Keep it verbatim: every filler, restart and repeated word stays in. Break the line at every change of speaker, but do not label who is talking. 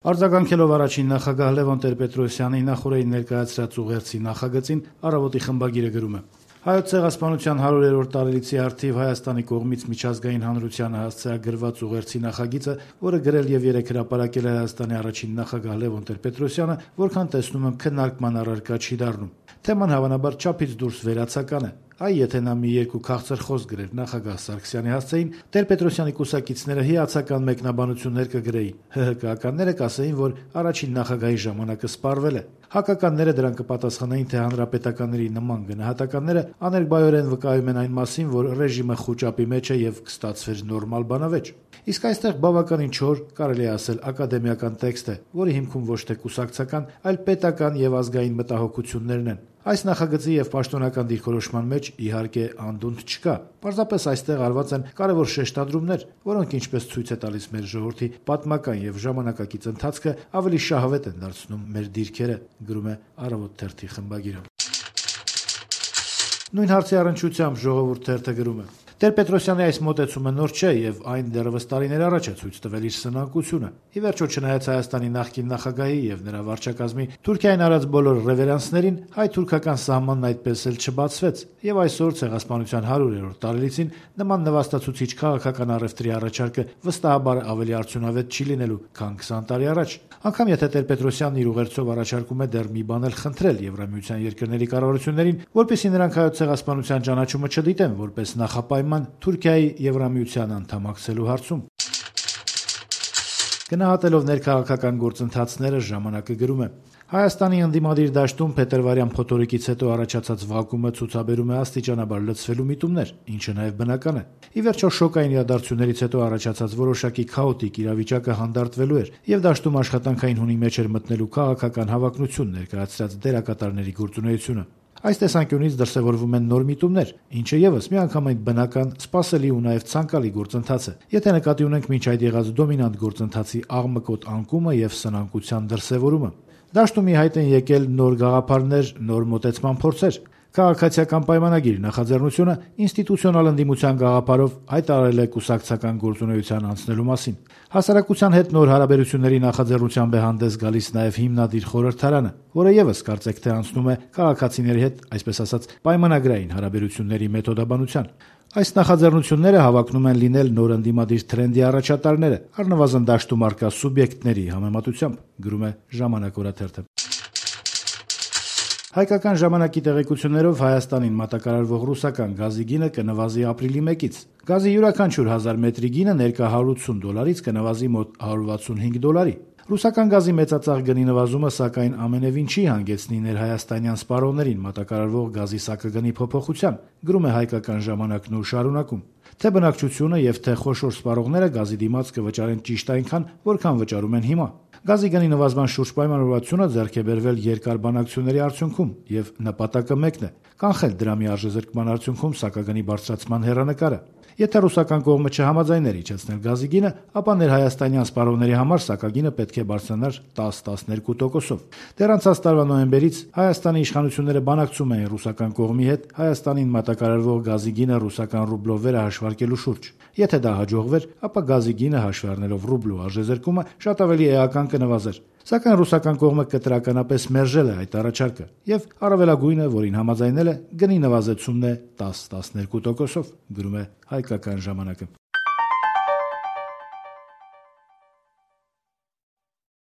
Արձագանքելով առաջին նախագահ Լևոն Տեր-Պետրոսյանի նախօրեին ներկայացրած ուղերձի նախագծին, «Առավոտ»-ի խմբագիրը գրում է. Հայոց ցեղասպանության հարյուրերորդ տարելիցի առթիվ Հայաստանի կողմից միջազգային հանրությանը հասցեագրված ուղերձի նախագիծը, որը գրել եւ երեկ հրապարակել է Հայաստանի առաջին նախագահ Լևոն Տեր-Պետրոսյանը, որքան տեսնում եմ, քննարկման առարկա չի դառնում։ Թեման հավանաբար չափից դուրս վերացական է։ Այ եթե նա մի երկու քաղցր խոսք գրեր նախագահ Սարգսյանի հասցեին, Տեր-Պետրոսյանի կուսակիցները հիացական մեկնաբանություններ կգրեին։ ՀՀԿ-ականները կասեին, որ առաջին նախագահի ժամանակը սպառվել է։ Հակականները դրան կպատասխանեին, թե հանրապետականների նման գնահատականները աներկբայորեն վկայում են այն մասին, որ ռեժիմը խուճապի մեջ է եւ կստացվեր նորմալ բանավեճ։ Իսկ այստեղ բավականին չոր, կարելի է ասել, ակադեմիական տեքստ է, որի հիմքում ոչ թե կուսակցական, այլ պետական եւ ազգային մտահոգություններն են։ Այս նախագծի եւ պաշտոնական դիրքորոշման մեջ, իհարկե, անդունդ չկա։ Պարզապես այստեղ արված են կարևոր շեշտադրումներ, որոնք, ինչպես ցույց է տալիս մեր ժողովրդի պատմական եւ ժամանակակից ընթացքը, ավելի շահավետ են դարձնում մեր դիրքերը, գրում է «Առավոտ» թերթի խմբագիրը։ Նույն հարցի առնչությամբ «Ժողովուրդ» թերթը գրում է. Տեր-Պետրոսյանի այս մոտեցումը նոր չէ եւ այն դեռևս տարիներ առաջ է ցույց տվել իր սնանկությունը։ Ի վերջո, չնայած Հայաստանի նախկին նախագահի եւ նրա վարչակազմի Թուրքիային արած բոլոր ռևերանսներին, հայ-թուրքական սահմանն այդպես էլ չբացվեց, եւ այսօր ցեղասպանության հարյուրերորդ տարելիցին նման նվաստացուցիչ քաղաքական առևտրի առաջարկը վստահաբար ավելի արդյունավետ չի լինելու, քան քսան տարի առաջ։ Անկամ եթե Տեր-Պետրոսյանն իր ուղերձով առաջարկում է դեռ մի բան էլ խնդրել Եվրամիության երկրների կառավարություններին, որպեսզի նրանք հայոց ցեղասպանության ճանաչումը չդիտեն որպես նախապայման Թուրքիայի Եվրամիության անդամակցելու հարցում։ Գնահատելով ներքաղաքական գործընթացները, «Ժամանակը» գրում է. Հայաստանի ընդդիմադիր դաշտում փետրվարյան փոթորիկից հետո առաջացած վակումը ցուցաբերում է աստիճանաբար լցվելու միտումներ, ինչը նաև բնական է։ Ի վերջո, շոկային իրադարձություններից հետո առաջացած որոշակի քաոտիկ իրավիճակը հանդարտվելու էր, եւ դաշտում աշխատանքային հունի մեջ էր մտնելու քաղաքական հավակնություն ներկայացրած դերակատարների գործունեությունը։ Այս տեսանկյունից դրսևորվում են նոր միտումներ, ինչը եւս միանգամայն բնական, սպասելի ու նաեւ ցանկալի գործընթաց է, եթե նկատի ունենք մինչ այդ եղած դոմինանտ գործընթացի աղմկոտ անկումը եւ սնանկության դրսևորումը։ Դաշտում ի հայտ են եկել նոր գաղափարներ, նոր մոտեցման փորձեր։ Քաղաքացիական պայմանագիր նախաձեռնությունը ինստիտուցիոնալ ընդդիմության գաղափարով հայտարարել է կուսակցական գործունեության անցնելու մասին։ Հասարակության հետ նոր հարաբերությունների նախաձեռնությամբ է հանդես գալիս նաև հիմնադիր խորհրդարանը, որը եւս կարծեք թե անցնում է քաղաքացիների հետ, այսպես ասած, պայմանագրային հարաբերությունների մեթոդաբանության։ Այս նախաձեռնությունները հավակնում են լինել նոր ընդդիմադիր թրենդի առաջատարները, առնվազն դաշտում առկա սուբյեկտների համեմատությամբ, գրում է «Ժամանակ» օրաթերթը։ Հայկական ժամանակի տեղեկություններով Հայաստանին մատակարարվող ռուսական գազի գինը կնվազի ապրիլի մեկից։ Գազի յուրաքանչյուր հազար մետրի գինը ներկա հարյուր ութսուն դոլարից կնվազի մոտ հարյուր վաթսունհինգ դոլարի։ Ռուսական գազի մեծածախ գնի նվազումը, սակայն, ամենևին չի հանգեցնի ներհայաստանյան սպառողներին մատակարարվող գազի սակագնի փոփոխության, գրում է «Հայկական ժամանակն» ու շարունակում. Թե բնակչությունը եւ թե խոշոր սպառողները գազի դիմաց կվճարեն ճիշտ այնքան, որքան վճարում են հիմա։ Գազի գնի նվազման շուրջ պայմանավորվածությունը ձեռք է բերվել երկար բանակցությունների արդյունքում, եւ նպատակը մեկն է՝ կանխել դրամի արժեզրկման արդյունքում սակագնի բարձրացման հեռանկարը։ Եթե ռուսական կողմը չհամաձայներ իջեցնել գազի գինը, ապա ներհայաստանյան սպառողների համար սակագինը պետք է բարձրանար տաս տասներկու տոկոսով։ Դեռ անցած տարվա նոյեմբերից Հայաստանի իշխանությունները բանակցում էին ռուսական կողմի հետ Հայաստանին մատակարարվող գազի գինը ռուսական ռուբլով վերահաշվարկելու շուրջ։ Եթե դա հաջողվեր, ապա գազի գինը հաշվի առնելով ռուբլու արժեզրկումը շատ ավելի էական կնվազեր։ Սակայն ռուսական կողմը կտրականապես մերժել է այդ առաջարկը, եւ առավելագույնը, որին համաձայնել է, գնի նվազեցումն է տաս տասներկու տոկոսով, գրում է «Հայկական ժամանակը»։